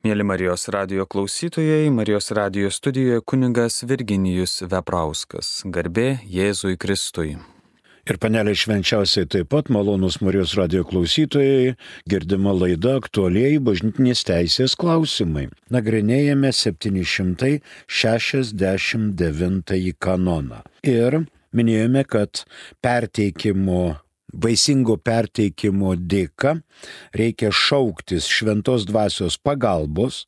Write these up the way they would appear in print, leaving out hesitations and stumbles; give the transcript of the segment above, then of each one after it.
Mėly Marijos radijo klausytojai, Marijos radijo studijoje kunigas Virginijus Veprauskas. Garbė Jėzui Kristui. Ir panelė švenčiausiai taip pat malonūs Marijos radijo klausytojai, girdima laida aktualieji bažnytinės teisės klausimai. Nagrinėjame 769 kanoną. Ir minėjome, kad vaisingo perteikimo dėka reikia šauktis šventos dvasios pagalbos,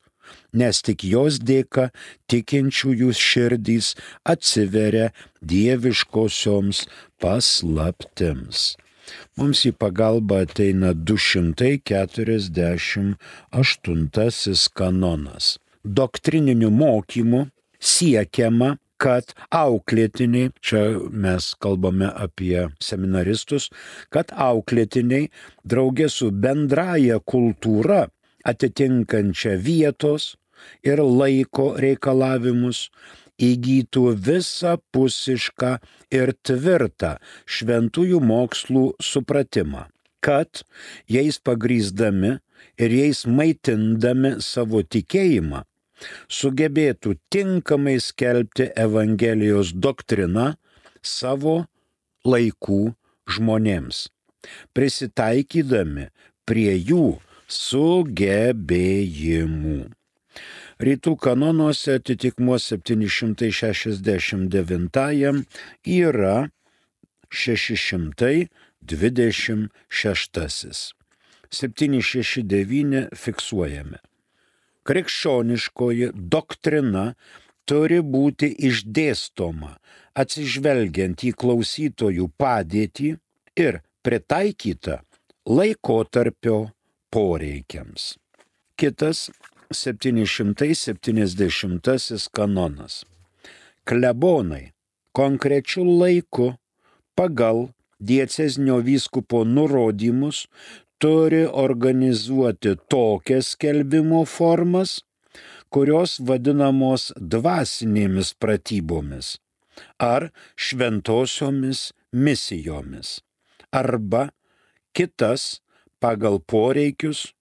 nes tik jos dėka tikinčiųjų širdys atsiveria dieviškosioms paslaptims. Mums į pagalbą ateina 248 kanonas. Doktrininiu mokymu siekiama, kad auklėtiniai, čia mes kalbame apie seminaristus, kad auklėtiniai draugė su bendraja kultūra atitinkančia vietos ir laiko reikalavimus įgytų visapusišką ir tvirtą šventųjų mokslų supratimą, kad jais pagrįsdami ir jais maitindami savo tikėjimą sugebėtų tinkamai skelbti Evangelijos doktriną savo laikų žmonėms, prisitaikydami prie jų sugebėjimų. Rytų kanonuose atitikmuo 769 yra 626. 769 fiksuojame. Krikščioniškoji doktrina turi būti išdėstoma atsižvelgiant į klausytojų padėtį ir pritaikyta laikotarpio poreikiams. Kitas 770 kanonas. Klebonai konkrečiu laiku pagal diecezinio vyskupo nurodymus turi organizuoti tokias skelbimo formas, kurios vadinamos dvasinėmis pratybomis ar šventosiomis misijomis, arba kitas pagal poreikius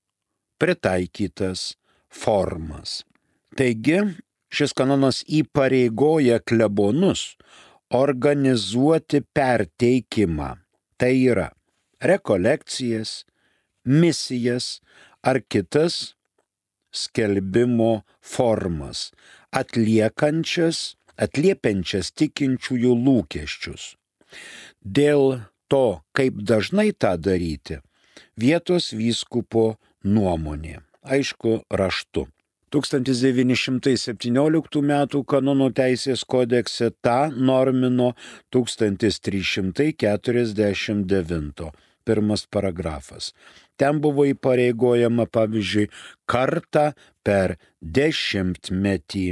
pritaikytas formas. Taigi, šis kanonas įpareigoja klebonus organizuoti perteikimą, tai yra rekolekcijas, misijas ar kitas skelbimo formas, atliepiančias tikinčiųjų lūkesčius. Dėl to, kaip dažnai tą daryti, vietos vyskupo nuomonė, aišku, raštu. 1917 m. kanonų teisės kodekse tą normino 1349. Pirmas paragrafas. Ten buvo įpareigojama, pavyzdžiui, kartą per 10 metį.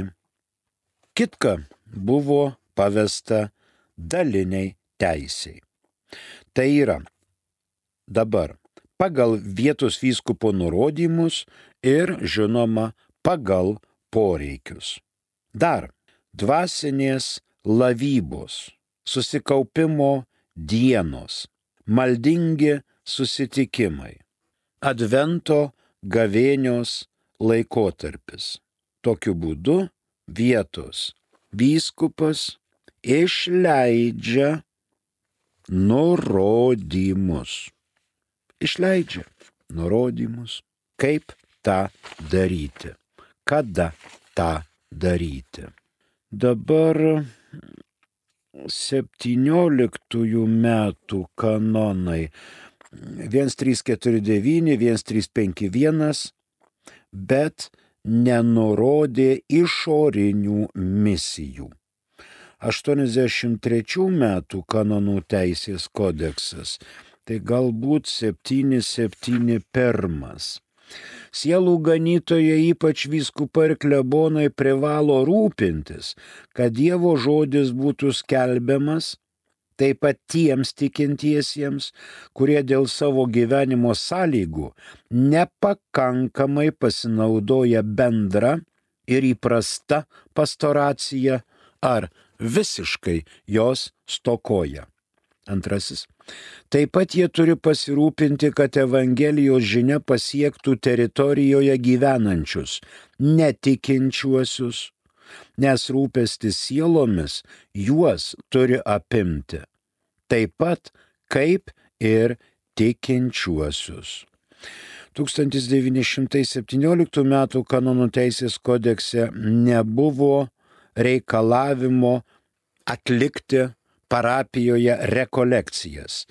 Kitka buvo pavesta daliniai teisei. Tai yra dabar pagal vietos vyskupo nurodymus ir, žinoma, pagal poreikius. Dar dvasinės lavybos, susikaupimo dienos, maldingi susitikimai, advento gavėnios laikotarpis. Tokiu būdu vietos vyskupas išleidžia nurodymus. Kaip tą daryti, kada tą daryti. Dabar 17 metų kanonai 1349, 1351, bet nenurodė išorinių misijų. 83 metų kanonų teisės kodeksas, tai galbūt 771. Sielų ganytojai, ypač vyskupai ir klebonai, privalo rūpintis, kad Dievo žodis būtų skelbiamas, taip pat tiems tikintiesiems, kurie dėl savo gyvenimo sąlygų nepakankamai pasinaudoja bendra ir įprasta pastoracija ar visiškai jos stokoja. Antrasis. Taip pat jie turi pasirūpinti, kad Evangelijos žinia pasiektų teritorijoje gyvenančius, netikinčiuosius, nes rūpestis sielomis juos turi apimti, taip pat kaip ir tikinčiuosius. 1917 m. kanonų teisės kodekse nebuvo reikalavimo atlikti parapijoje rekolekcijas.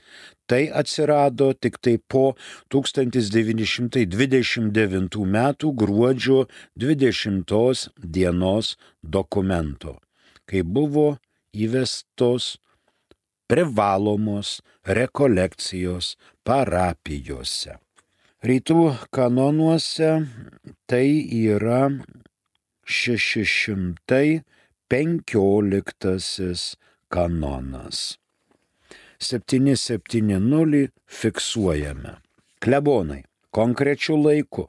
Tai atsirado tik tai po 1929 m. gruodžio 20 dienos dokumento, kai buvo įvestos privalomos rekolekcijos parapijose. Rytų kanonuose tai yra 615 kanonas. 770 fiksuojame. Klebonai konkrečiu laiku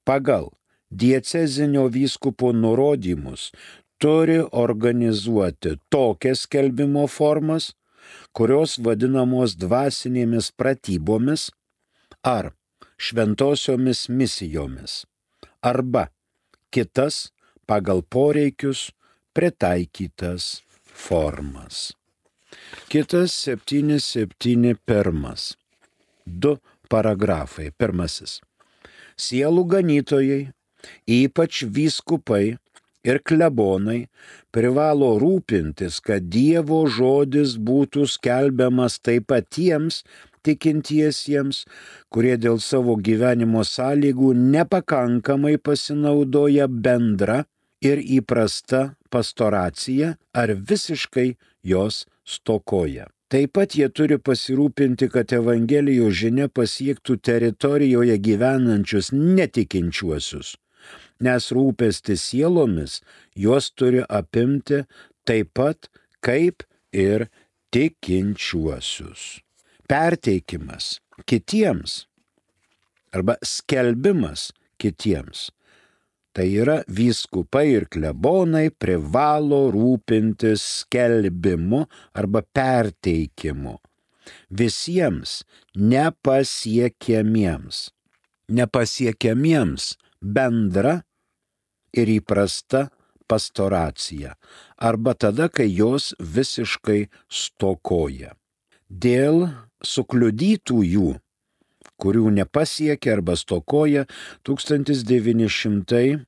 pagal diecezinio vyskupo nurodymus turi organizuoti tokias skelbimo formas, kurios vadinamos dvasinėmis pratybomis ar šventosiomis misijomis, arba kitas pagal poreikius pritaikytas formas. Kitas 771. 2 paragrafai. Pirmasis. Sielų ganytojai, ypač vyskupai ir klebonai, privalo rūpintis, kad Dievo žodis būtų skelbiamas taip pat tiems tikintiesiems, kurie dėl savo gyvenimo sąlygų nepakankamai pasinaudoja bendra ir įprasta pastoracija ar visiškai jos stokoja. Taip pat jie turi pasirūpinti, kad Evangelijos žinia pasiektų teritorijoje gyvenančius netikinčiuosius, nes rūpestis sielomis juos turi apimti taip pat kaip ir tikinčiuosius. Perteikimas kitiems arba skelbimas kitiems. Tai yra vyskupai ir klebonai privalo rūpintis skelbimu arba perteikimu visiems nepasiekiamiems bendra ir įprasta pastoracija arba tada, kai jos visiškai stokoja. Dėl sukliudytųjų, kurių nepasiekia arba stokoja, 1917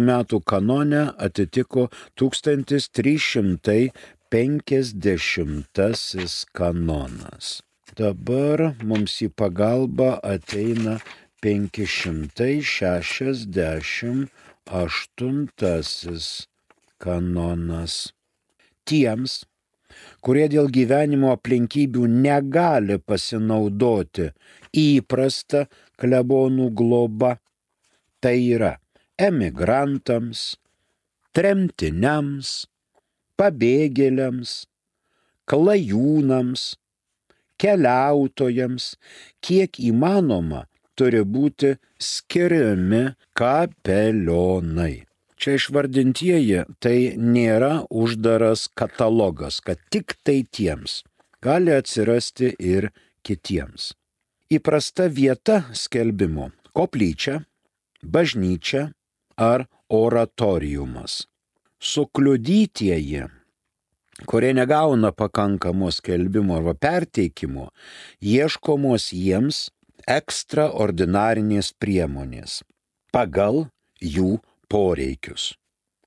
m. kanone atitiko 1350 kanonas. Dabar mums į pagalbą ateina 568 kanonas. Tiems, kurie dėl gyvenimo aplinkybių negali pasinaudoti įprasta klebonų globa, tai yra emigrantams, tremtiniams, pabėgėliams, klajūnams, keliautojams, kiek įmanoma turi būti skiriami kapelionai. Čia išvardintieji tai nėra uždaras katalogas, kad tik tai tiems. Gali atsirasti ir kitiems. Įprasta vieta skelbimo – koplyčia, bažnyčia ar oratoriumas. Sukliudytieji, kurie negauna pakankamo skelbimo arba perteikimo, ieškomos jiems ekstraordinarinės priemonės pagal jų poreikius,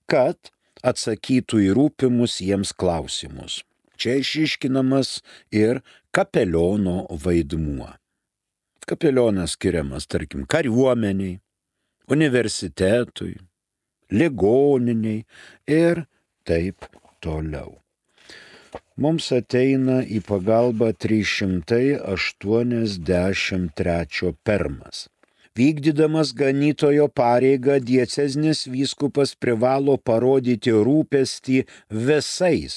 kad atsakytų į rūpimus jiems klausimus. Čia išryškinamas ir kapeliono vaidmuo. Kapelionas skiriamas, tarkim, kariuomeniai, universitetui, ligoniniai ir taip toliau. Mums ateina į pagalbą 383 pirmas. Vykdydamas ganytojo pareigą, diecezinis vyskupas privalo parodyti rūpestį visais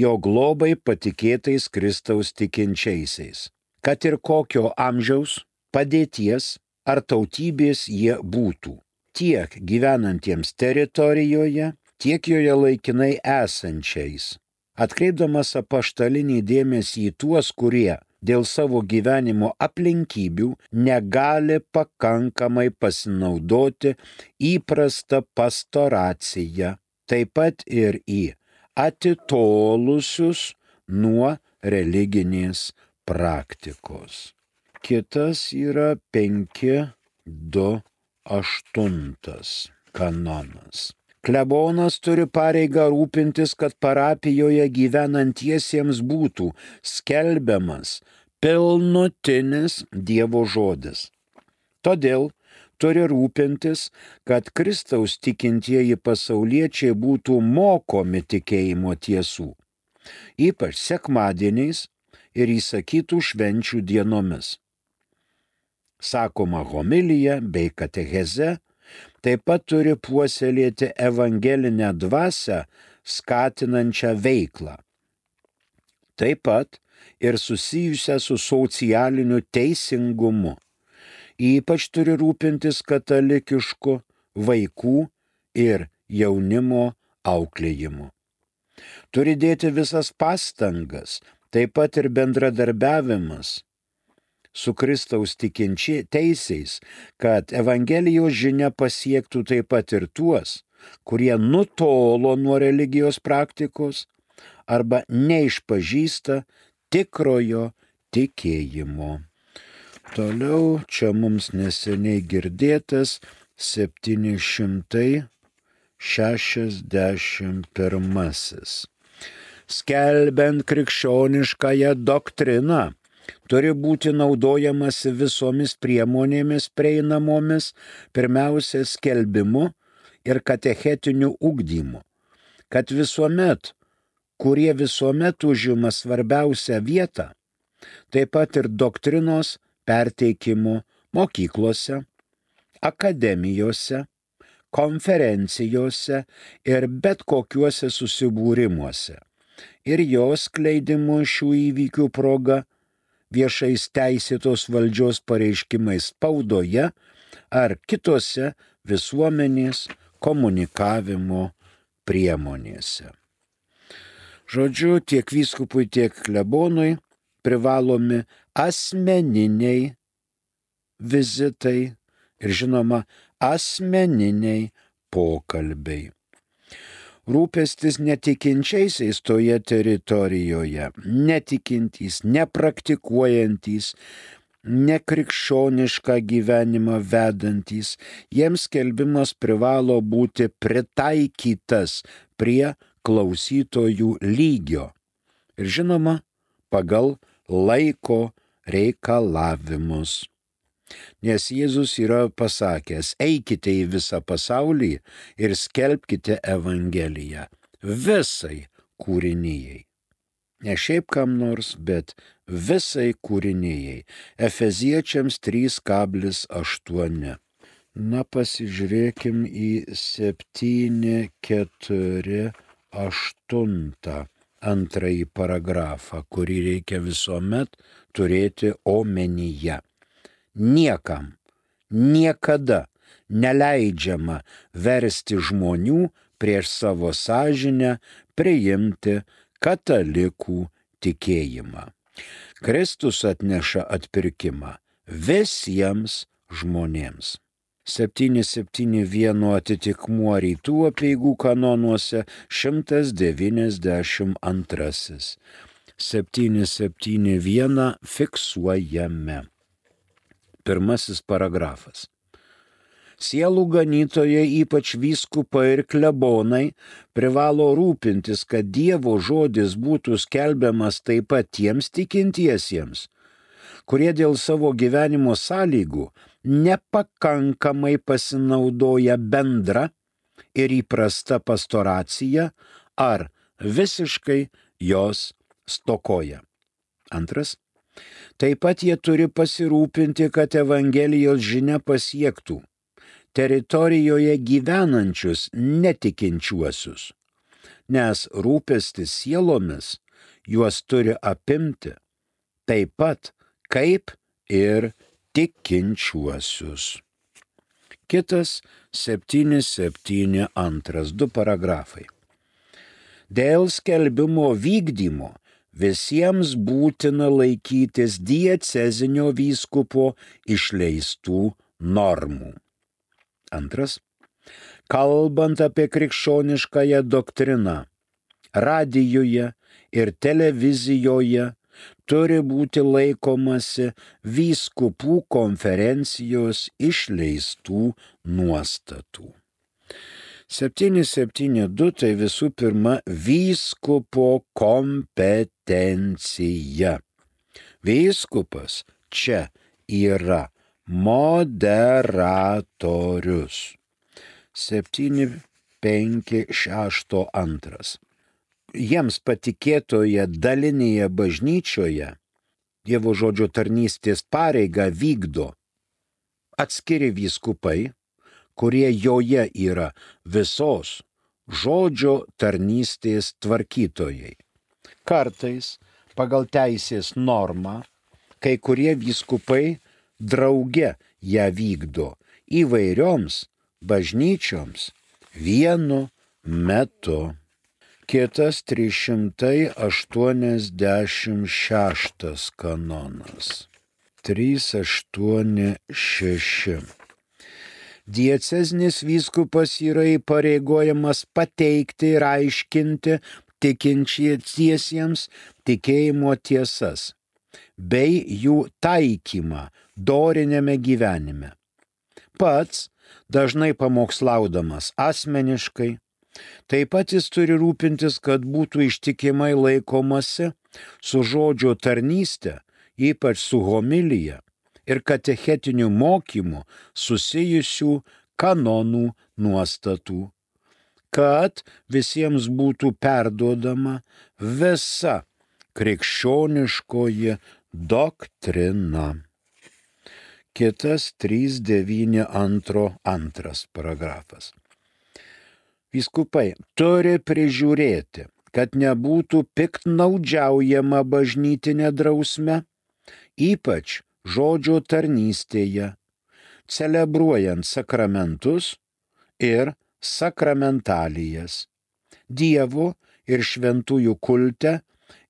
jo globai patikėtais Kristaus tikinčiaisiais, kad ir kokio amžiaus, padėties ar tautybės jie būtų, tiek gyvenantiems teritorijoje, tiek joje laikinai esančiais, atkreipdamas apaštalinį dėmesį į tuos, kurie dėl savo gyvenimo aplinkybių negali pakankamai pasinaudoti įprastą pastoraciją, taip pat ir į atitolusius nuo religinės praktikos. Kitas yra 5.2.8 kanonas. Klebonas turi pareigą rūpintis, kad parapijoje gyvenantiesiems būtų skelbiamas pilnutinis Dievo žodis. Todėl turi rūpintis, kad Kristaus tikintieji pasauliečiai būtų mokomi tikėjimo tiesų, ypač sekmadieniais ir įsakytų švenčių dienomis. Sakoma homilija bei katecheze taip pat turi puoselėti evangelinę dvasią skatinančią veiklą. Taip pat ir susijusią su socialiniu teisingumu. Ypač turi rūpintis katalikišku vaikų ir jaunimo auklėjimu. Turi dėti visas pastangas, taip pat ir bendradarbiavimas su Kristaus tikinčiaisiais, kad Evangelijos žinia pasiektų taip pat ir tuos, kurie nutolo nuo religijos praktikos arba neišpažįsta tikrojo tikėjimo. Toliau čia mums neseniai girdėtas 761. Skelbiant krikščioniškąją doktriną, turi būti naudojamasi visomis priemonėmis prieinamomis, pirmiausia skelbimu ir katechetiniu ugdymu, kad visuomet, kurie visuomet užima svarbiausią vietą, taip pat ir doktrinos perteikimu mokyklose, akademijose, konferencijose ir bet kokiuose susibūrimuose ir jos skleidimu šių įvykių proga viešais teisėtos valdžios pareiškimais spaudoje ar kitose visuomenės komunikavimo priemonėse. Žodžiu, tiek vyskupui, tiek klebonui privalomi asmeniniai vizitai ir žinoma asmeniniai pokalbiai. Rūpestis netikinčiaisiais toje teritorijoje, netikintys, nepraktikuojantys, nekrikščionišką gyvenimą vedantys, jiems skelbimas privalo būti pritaikytas prie klausytojų lygio ir žinoma pagal laiko reikalavimus. Nes Jėzus yra pasakęs, eikite į visą pasaulį ir skelbkite Evangeliją visai kūrinijai. Ne šiaip kam nors, bet visai kūrinijai. Efeziečiams 3.8. Na, pasižiūrėkim į 7.4.8 antrąjį paragrafą, kurį reikia visuomet turėti omenyje. Niekam, niekada neleidžiama versti žmonių prieš savo sąžinę priimti katalikų tikėjimą. Kristus atneša atpirkimą visiems žmonėms. 771 atitikmuo rytų apeigų kanonuose 192. 771 fiksuojame. Pirmasis paragrafas. Sielų ganytojai, ypač vyskupai ir klebonai, privalo rūpintis, kad Dievo žodis būtų skelbiamas taip pat tiems tikintiesiems, kurie dėl savo gyvenimo sąlygų nepakankamai pasinaudoja bendra ir įprasta pastoracija ar visiškai jos stokoja. Antras. Taip pat jie turi pasirūpinti, kad Evangelijos žinia pasiektų teritorijoje gyvenančius netikinčiuosius, nes rūpestis sielomis juos turi apimti taip pat kaip ir tikinčiuosius. Kitas 772, 2 paragrafai. Dėl skelbimo vykdymo visiems būtina laikytis diecezinio vyskupo išleistų normų. Antras. Kalbant apie krikščioniškąją doktriną, radijuje ir televizijoje turi būti laikomasi vyskupų konferencijos išleistų nuostatų. 772 tai visų pirma vyskupo kompetencija. Vyskupas čia yra moderatorius. 7.5.6.2. Jiems patikėtoje dalinėje bažnyčioje Dievo žodžio tarnystės pareigą vykdo atskiri vyskupai, kurie joje yra visos žodžio tarnystės tvarkytojai. Kartais pagal teisės normą kai kurie vyskupai drauge ją vykdo įvairioms bažnyčioms vienu metu. Kitas 386 kanonas. 386. Diecezinis vyskupas yra įpareigojamas pateikti ir aiškinti tikinčiesiems tikėjimo tiesas bei jų taikymą doriniame gyvenime. Pats dažnai pamokslaudamas asmeniškai, taip pat jis turi rūpintis, kad būtų ištikimai laikomasi su žodžio tarnyste, ypač su homilija ir katechetiniu mokymu susijusių kanonų nuostatų, kad visiems būtų perduodama visa krikščioniškoji doktrina. Kitas 392 paragrafas. Vyskupai turi prižiūrėti, kad nebūtų piktnaudžiaujama bažnytinė drausme, ypač žodžio tarnystėje, celebruojant sakramentus ir sakramentalijas, Dievo ir šventųjų kulte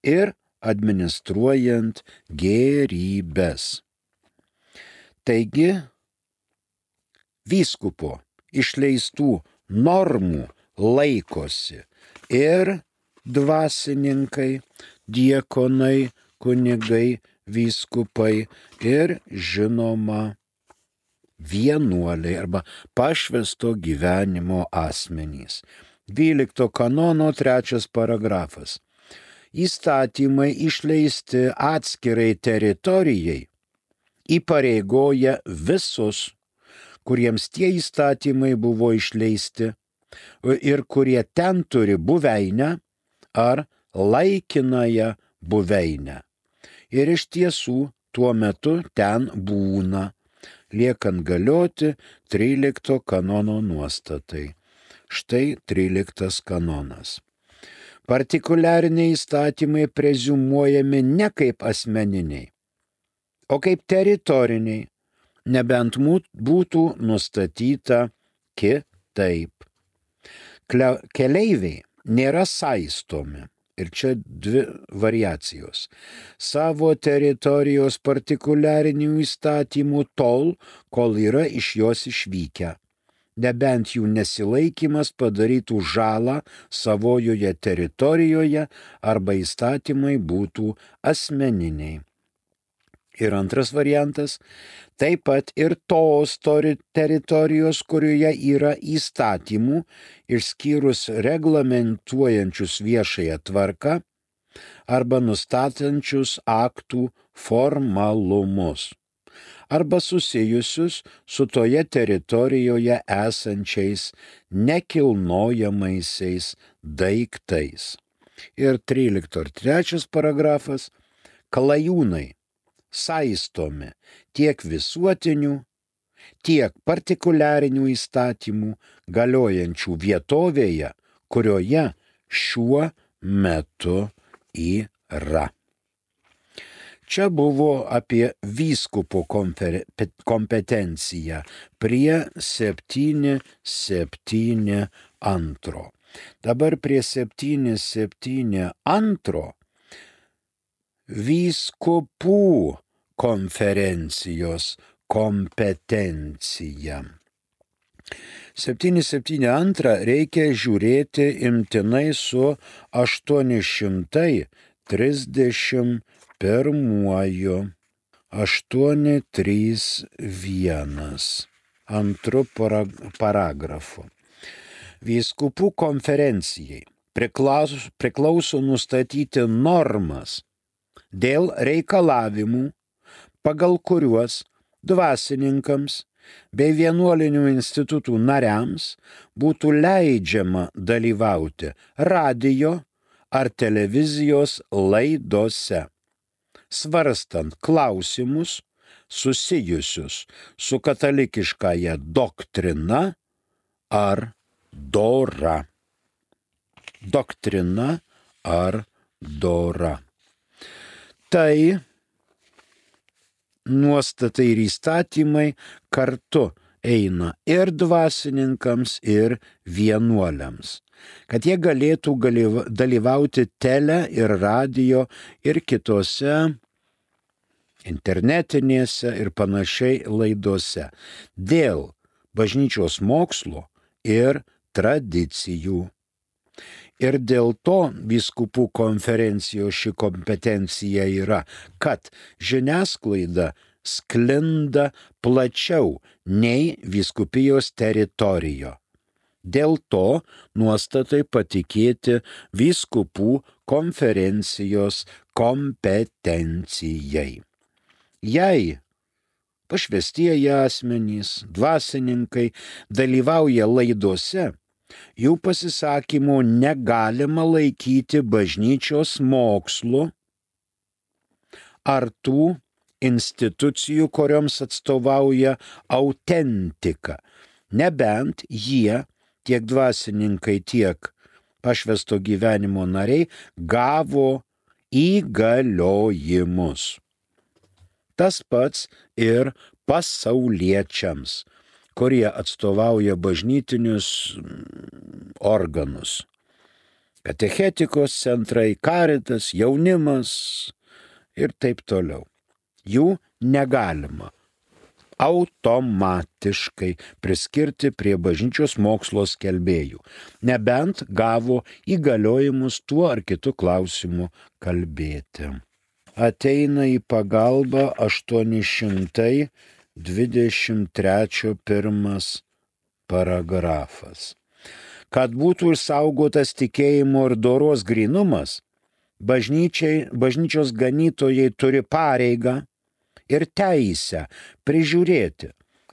ir administruojant gėrybes. Taigi, vyskupo išleistų normų laikosi ir dvasininkai, diakonai, kunigai, vyskupai ir žinoma vienuoliai arba pašvęsto gyvenimo asmenys. 12 kanono 3 paragrafas. Įstatymai išleisti atskirai teritorijai įpareigoja visus, kuriems tie įstatymai buvo išleisti ir kurie ten turi buveinę ar laikinąją buveinę. Ir iš tiesų tuo metu ten būna, liekant galioti 13 kanono nuostatai. Štai 13 kanonas. Partikuliariniai įstatymai preziumuojami ne kaip asmeniniai, o kaip teritoriniai, nebent būtų nustatyta kitaip. Keleiviai nėra saistomi, ir čia 2 variacijos, savo teritorijos partikuliarinių įstatymų tol, kol yra iš jos išvykę, nebent jų nesilaikymas padarytų žalą savojoje teritorijoje arba įstatymai būtų asmeniniai. Ir antras variantas, taip pat ir tos teritorijos, kurioje yra įstatymų, išskyrus reglamentuojančius viešąją tvarką arba nustatančius aktų formalumus, arba susijusius su toje teritorijoje esančiais nekilnojamaisiais daiktais. Ir 13 ir 3 paragrafas, klajūnai saistomi tiek visuotinių, tiek partikuliarinių įstatymų galiojančių vietovėje, kurioje šiuo metu yra. Čia buvo apie vyskupo kompetenciją prie 772. Dabar prie 772 vyskupų konferencijos kompetencija. 772 reikia žiūrėti imtinai su 831. 831 antru paragrafu. Vyskupų konferencijai priklauso nustatyti normas dėl reikalavimų, pagal kuriuos dvasininkams bei vienuolinių institutų nariams būtų leidžiama dalyvauti radijo ar televizijos laidose, svarstant klausimus susijusius su katalikiškąja doktrina ar dora. Doktrina ar dora. Tai nuostatai ir įstatymai kartu eina ir dvasininkams, ir vienuoliams, kad jie galėtų dalyvauti tele ir radijo ir kitose internetinėse ir panašiai laidose dėl bažnyčios mokslo ir tradicijų. Ir dėl to vyskupų konferencijos ši kompetencija yra, kad žiniasklaida sklinda plačiau nei vyskupijos teritorijo. Dėl to nuostatai patikėti vyskupų konferencijos kompetencijai. Jei pašvestieji asmenys, dvasininkai dalyvauja laidose, jų pasisakymų negalima laikyti bažnyčios mokslu ar tų institucijų, kurioms atstovauja autentika, nebent jie, tiek dvasininkai, tiek pašvesto gyvenimo nariai, gavo įgaliojimus. Tas pats ir pasauliečiams, kurie atstovauja bažnytinius organus. Katechetikos centrai, karitas, jaunimas ir taip toliau. Jų negalima automatiškai priskirti prie bažnyčios mokslo skelbėjų, nebent gavo įgaliojimus tuo ar kitu klausimu kalbėti. Ateina į pagalbą 823 pirmas paragrafas. Kad būtų išsaugotas tikėjimo ir doros grynumas, bažnyčios ganytojai turi pareigą ir teisę prižiūrėti,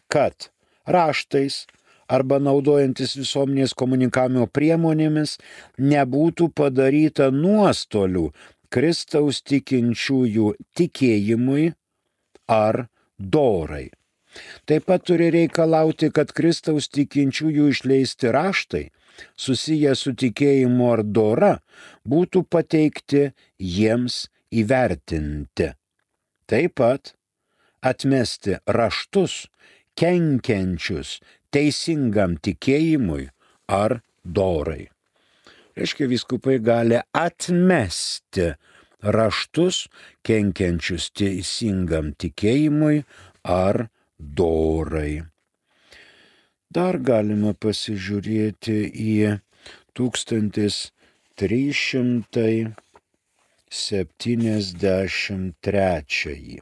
kad raštais arba naudojantis visuomenės komunikavimo priemonėmis nebūtų padaryta nuostolių Kristaus tikinčiųjų tikėjimui ar dorai. Taip pat turi reikalauti, kad Kristaus tikinčiųjų išleisti raštai, susiję su tikėjimu ar dora, būtų pateikti jiems įvertinti. Taip pat atmesti raštus, kenkiančius teisingam tikėjimui ar dorai. Reiškia, vyskupai gali atmesti raštus, kenkiančius teisingam tikėjimui ar dorai. Dar galima pasižiūrėti į 1373.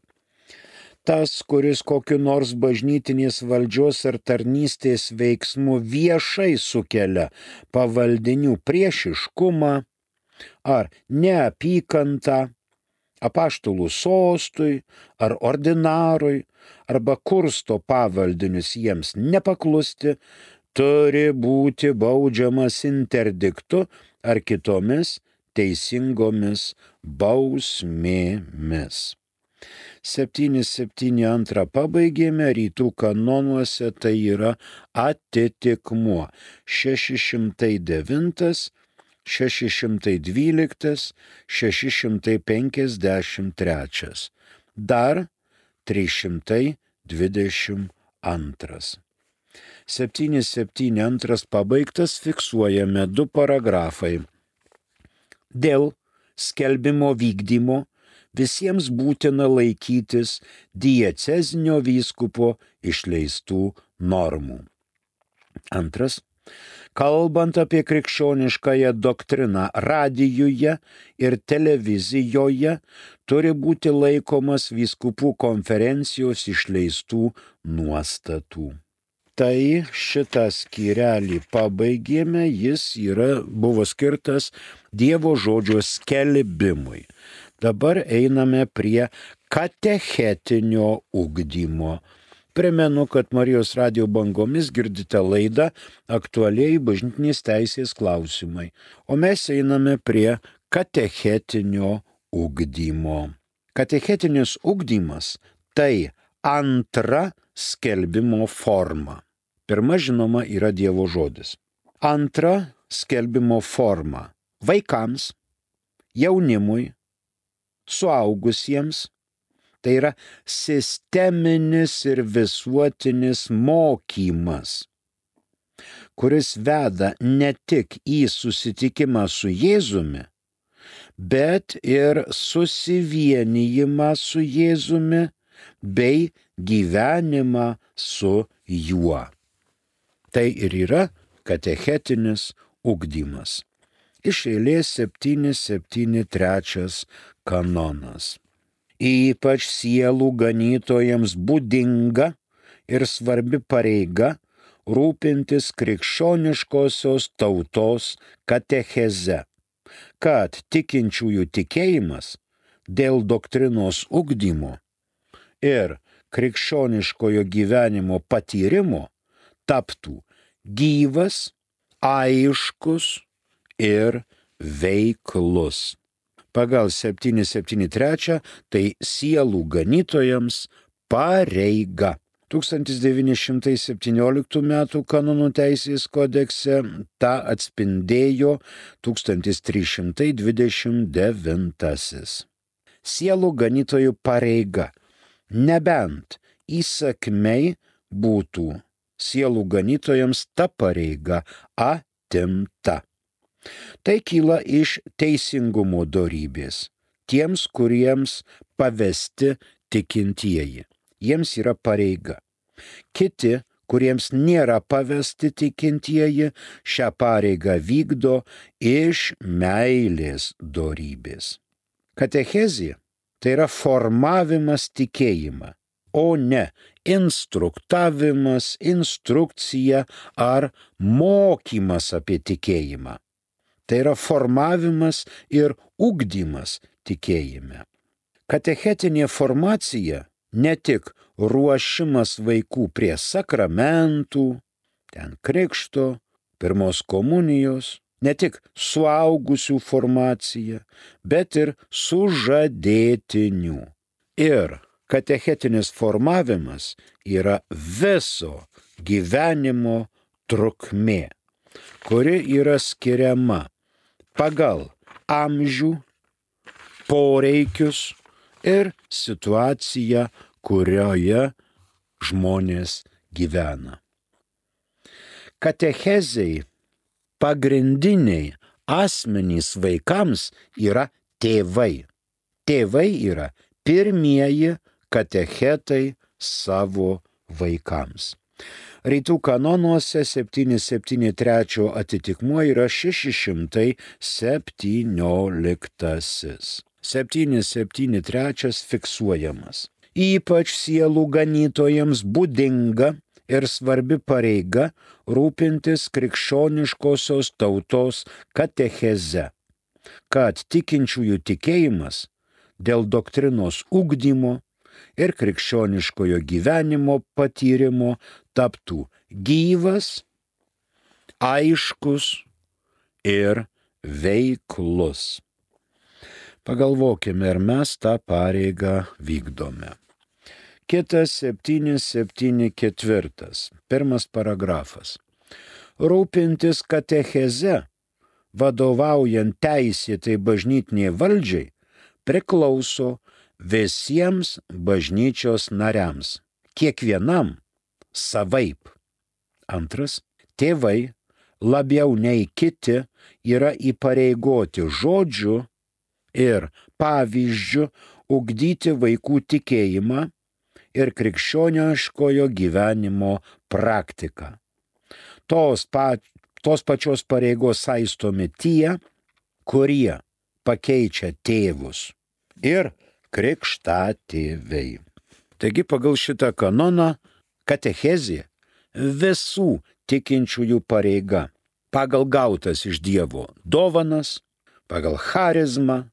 Tas, kuris kokiu nors bažnytinės valdžios ar tarnystės veiksmu viešai sukelia pavaldinių priešiškumą ar neapykantą apaštalų sostui ar ordinarui arba kursto pavaldinius jiems nepaklusti, turi būti baudžiamas interdiktu ar kitomis teisingomis bausmėmis. 772 pabaigėme, rytų kanonuose tai yra atitikmuo 609, 612, 653. Dar 322. 772 pabaigtas, fiksuojame 2 paragrafai. Dėl skelbimo vykdymo visiems būtina laikytis diecezinio vyskupo išleistų normų. Antras. Kalbant apie krikščioniškąją doktriną radijuje ir televizijoje, turi būti laikomas vyskupų konferencijos išleistų nuostatų. Tai šitą skyrelį pabaigėme, jis buvo skirtas Dievo žodžio skelbimui. Dabar einame prie katechetinio ugdymo. Primenu, kad Marijos radijo bangomis girdite laidą Aktualieji bažnytinės teisės klausimai, o mes einame prie katechetinio ugdymo. Katechetinis ugdymas tai antra skelbimo forma. Pirma, žinoma, yra Dievo žodis. Antra skelbimo forma – vaikams, jaunimui, suaugusiems. Tai yra sisteminis ir visuotinis mokymas, kuris veda ne tik į susitikimą su Jėzumi, bet ir susivienijimą su Jėzumi bei gyvenimą su juo. Tai ir yra katechetinis ugdymas. Iš eilės 773 kanonas. Ypač sielų ganytojams būdinga ir svarbi pareiga rūpintis krikščioniškosios tautos katecheze, kad tikinčiųjų tikėjimas dėl doktrinos ugdymo ir krikščioniškojo gyvenimo patyrimo taptų gyvas, aiškus ir veiklus. Pagal 773 tai sielų ganytojams pareiga. 1917 m. kanonų teisės kodekse tą atspindėjo 1329. Sielų ganytojų pareiga, nebent įsakmiai būtų sielų ganytojams ta pareiga atimta. Tai kyla iš teisingumo dorybės. Tiems, kuriems pavesti tikintieji. Jiems yra pareiga. Kiti, kuriems nėra pavesti tikintieji, šią pareigą vykdo iš meilės dorybės. Katechezė tai yra formavimas tikėjimą, o ne instruktavimas, instrukcija ar mokymas apie tikėjimą. Tai yra formavimas ir ugdymas tikėjime. Katechetinė formacija ne tik ruošimas vaikų prie sakramentų, ten krikšto, pirmos komunijos, ne tik suaugusių formacija, bet ir sužadėtinių. Ir katechetinis formavimas yra viso gyvenimo trukmė, kuri yra skiriama pagal amžių, poreikius ir situaciją, kurioje žmonės gyvena. Katechezei pagrindiniai asmenys vaikams yra tėvai. Tėvai yra pirmieji katechetai savo vaikams. Rytų kanonuose 773 atitikmuo yra 617. 773 fiksuojamas. Ypač sielų ganytojams būdinga ir svarbi pareiga rūpintis krikščioniškosios tautos katecheze, kad tikinčiųjų tikėjimas dėl doktrinos ugdymo ir krikščioniškojo gyvenimo patyrimo taptų gyvas, aiškus ir veiklus. Pagalvokime, ar mes tą pareigą vykdome. Kitas 774. Pirmas paragrafas. Rūpintis katecheze, vadovaujant teisėtai bažnytiniai valdžiai, priklauso visiems bažnyčios nariams, kiekvienam savaip. Antras, tėvai labiau nei kiti yra įpareigoti žodžiu ir pavyzdžiu ugdyti vaikų tikėjimą ir krikščioniškojo gyvenimo praktiką. Tos pačios pareigos saistomi tie, kurie pakeičia tėvus ir krikštatėviai. Taigi pagal šitą kanoną katechezė visų tikinčiųjų pareiga pagal gautas iš Dievo dovanas, pagal charizmą,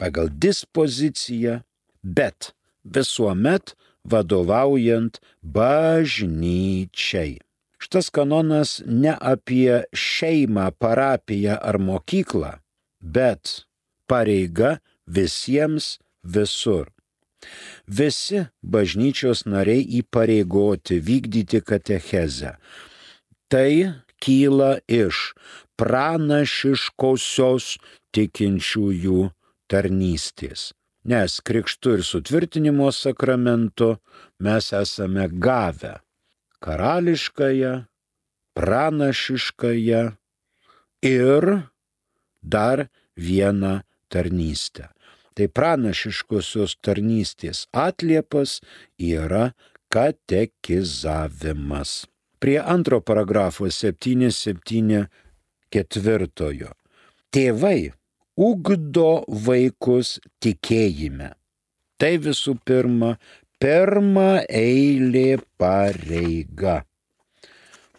pagal dispoziciją, bet visuomet vadovaujant bažnyčiai. Šitas kanonas ne apie šeimą, parapiją ar mokyklą, bet pareiga visiems visur. Visi bažnyčios nariai įpareigoti vykdyti katechezę. Tai kyla iš pranašiškosios tikinčiųjų tarnystės. Nes krikštu ir sutvirtinimo sakramentu mes esame gavę karališkąją, pranašiškąją ir dar vieną tarnystę. Tai pranašiškosios tarnystės atliepas yra katekizavimas. Prie antro paragrafo 774. Tėvai ugdo vaikus tikėjime. Tai visų pirma eilė pareiga.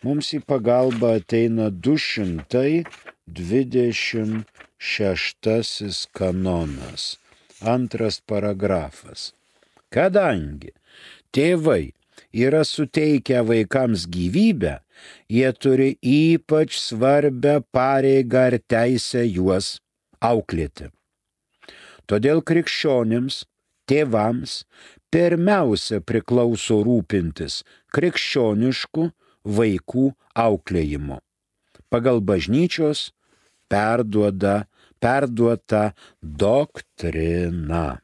Mums į pagalbą ateina 226 kanonas. Antras paragrafas. Kadangi tėvai yra suteikę vaikams gyvybę, jie turi ypač svarbią pareigą ir teisę juos auklėti. Todėl krikščionims, tėvams pirmiausia priklauso rūpintis krikščioniškų vaikų auklėjimu. Pagal bažnyčios perduota doktrina.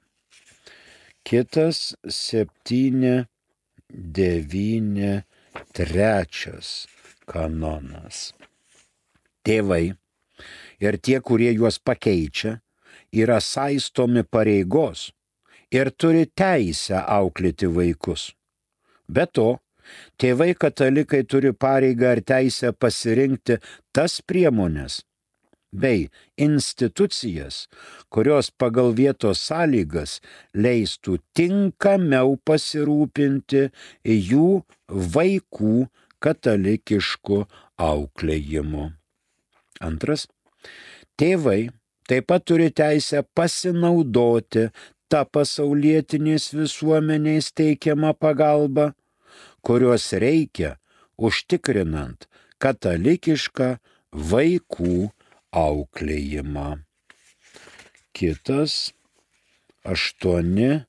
Kitas 793 kanonas. Tėvai ir tie, kurie juos pakeičia, yra saistomi pareigos ir turi teisę auklėti vaikus. Be to, tėvai katalikai turi pareigą ir teisę pasirinkti tas priemones bei institucijas, kurios pagal vietos sąlygas leistų tinkamiau pasirūpinti jų vaikų katalikišku auklėjimu. Antras, tėvai taip pat turi teisę pasinaudoti tą pasaulietinės visuomenės teikiamą pagalbą, kurios reikia užtikrinant katalikišką vaikų auklėjimą. Kitas 851.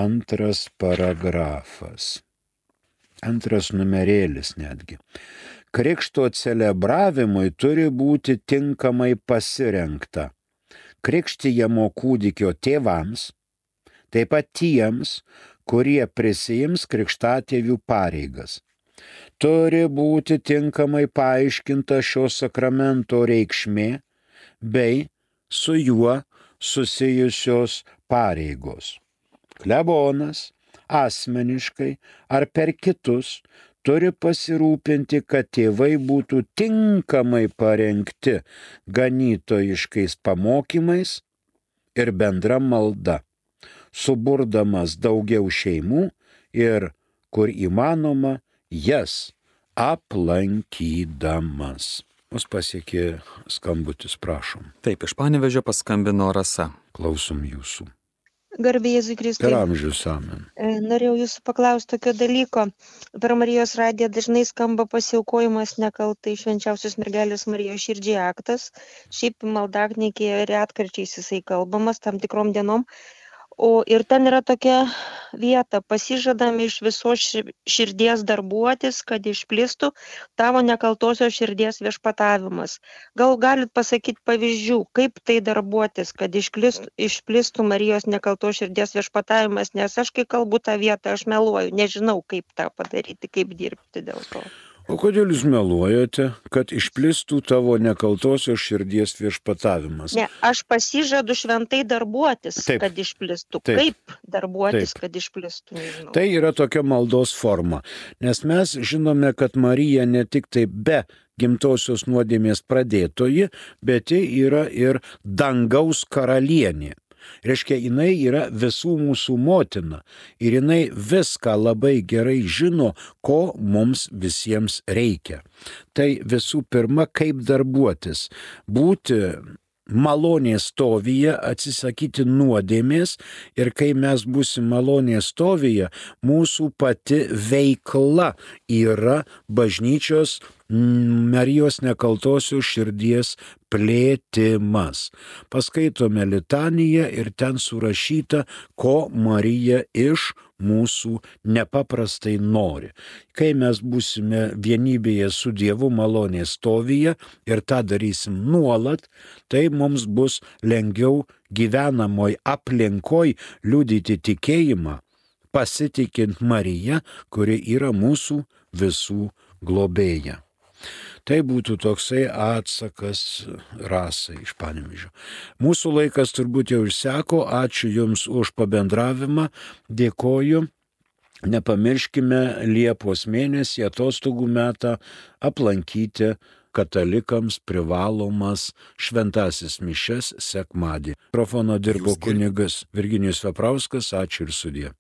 Antras paragrafas. Antras numerėlis netgi. Krikšto celebravimui turi būti tinkamai pasirengta krikštijamo kūdikio tėvams, taip pat tiems, kurie prisiims krikštatėvių pareigas. Turi būti tinkamai paaiškinta šio sakramento reikšmė bei su juo susijusios pareigos. Klebonas asmeniškai ar per kitus turi pasirūpinti, kad tėvai būtų tinkamai parengti ganytojiškais pamokymais ir bendra malda, suburdamas daugiau šeimų ir, kur įmanoma, jas aplankydamas. Mus pasiekė skambutis, prašom. Taip, iš Panevėžio paskambino Rasa. Klausom jūsų. Garbė Jėzui Kristui. Per amžius amen. Norėjau jūsų paklausti tokio dalyko. Per Marijos radiją dažnai skamba pasiaukojimas nekaltai švenčiausios mergelės Marijos širdžiai aktas. Šiaip maldaknygėje retkarčiais jisai kalbamas tam tikrom dienom. Ir ten yra tokia vieta, pasižadame iš visos širdies darbuotis, kad išplistų tavo nekaltosios širdies viešpatavimas. Gal galit pasakyti pavyzdžių, kaip tai darbuotis, kad išplistų Marijos nekaltos širdies viešpatavimas, nes aš kai kalbu tą vietą, aš meluoju, nežinau kaip tą padaryti, kaip dirbti dėl to. O kodėl jūs meluojate, kad išplistų tavo nekaltosios širdies viešpatavimas? Ne, aš pasižadu šventai darbuotis, Taip. kad išplistų. Taip. Kaip darbuotis, Taip. kad išplistų, nežinau. Tai yra tokia maldos forma, nes mes žinome, kad Marija ne tik tai be gimtosios nuodėmės pradėtoji, bet ji yra ir dangaus karalienė. Reiškia, jinai yra visų mūsų motina ir jinai viską labai gerai žino, ko mums visiems reikia. Tai visų pirma, kaip darbuotis, būti malonės stovyje, atsisakyti nuodėmės ir kai mes būsim malonės stovyje, mūsų pati veikla yra bažnyčios Marijos nekaltosios širdies plėtimas. Paskaitome litaniją ir ten surašyta, ko Marija iš mūsų nepaprastai nori. Kai mes būsime vienybėje su Dievu malonės stovyje ir tą darysim nuolat, tai mums bus lengviau gyvenamoj aplinkoj liudyti tikėjimą, pasitikint Mariją, kuri yra mūsų visų globėja. Tai būtų toksai atsakas Rasai iš Panevėžio. Mūsų laikas turbūt jau išseko, ačiū Jums už pabendravimą, dėkoju. Nepamirškime Liepos mėnesį atostogų metą aplankyti katalikams privalomas šventasis mišias sekmadienį. Mikrofono dirbo kunigas Virginijus Veprauskas, ačiū ir sudie.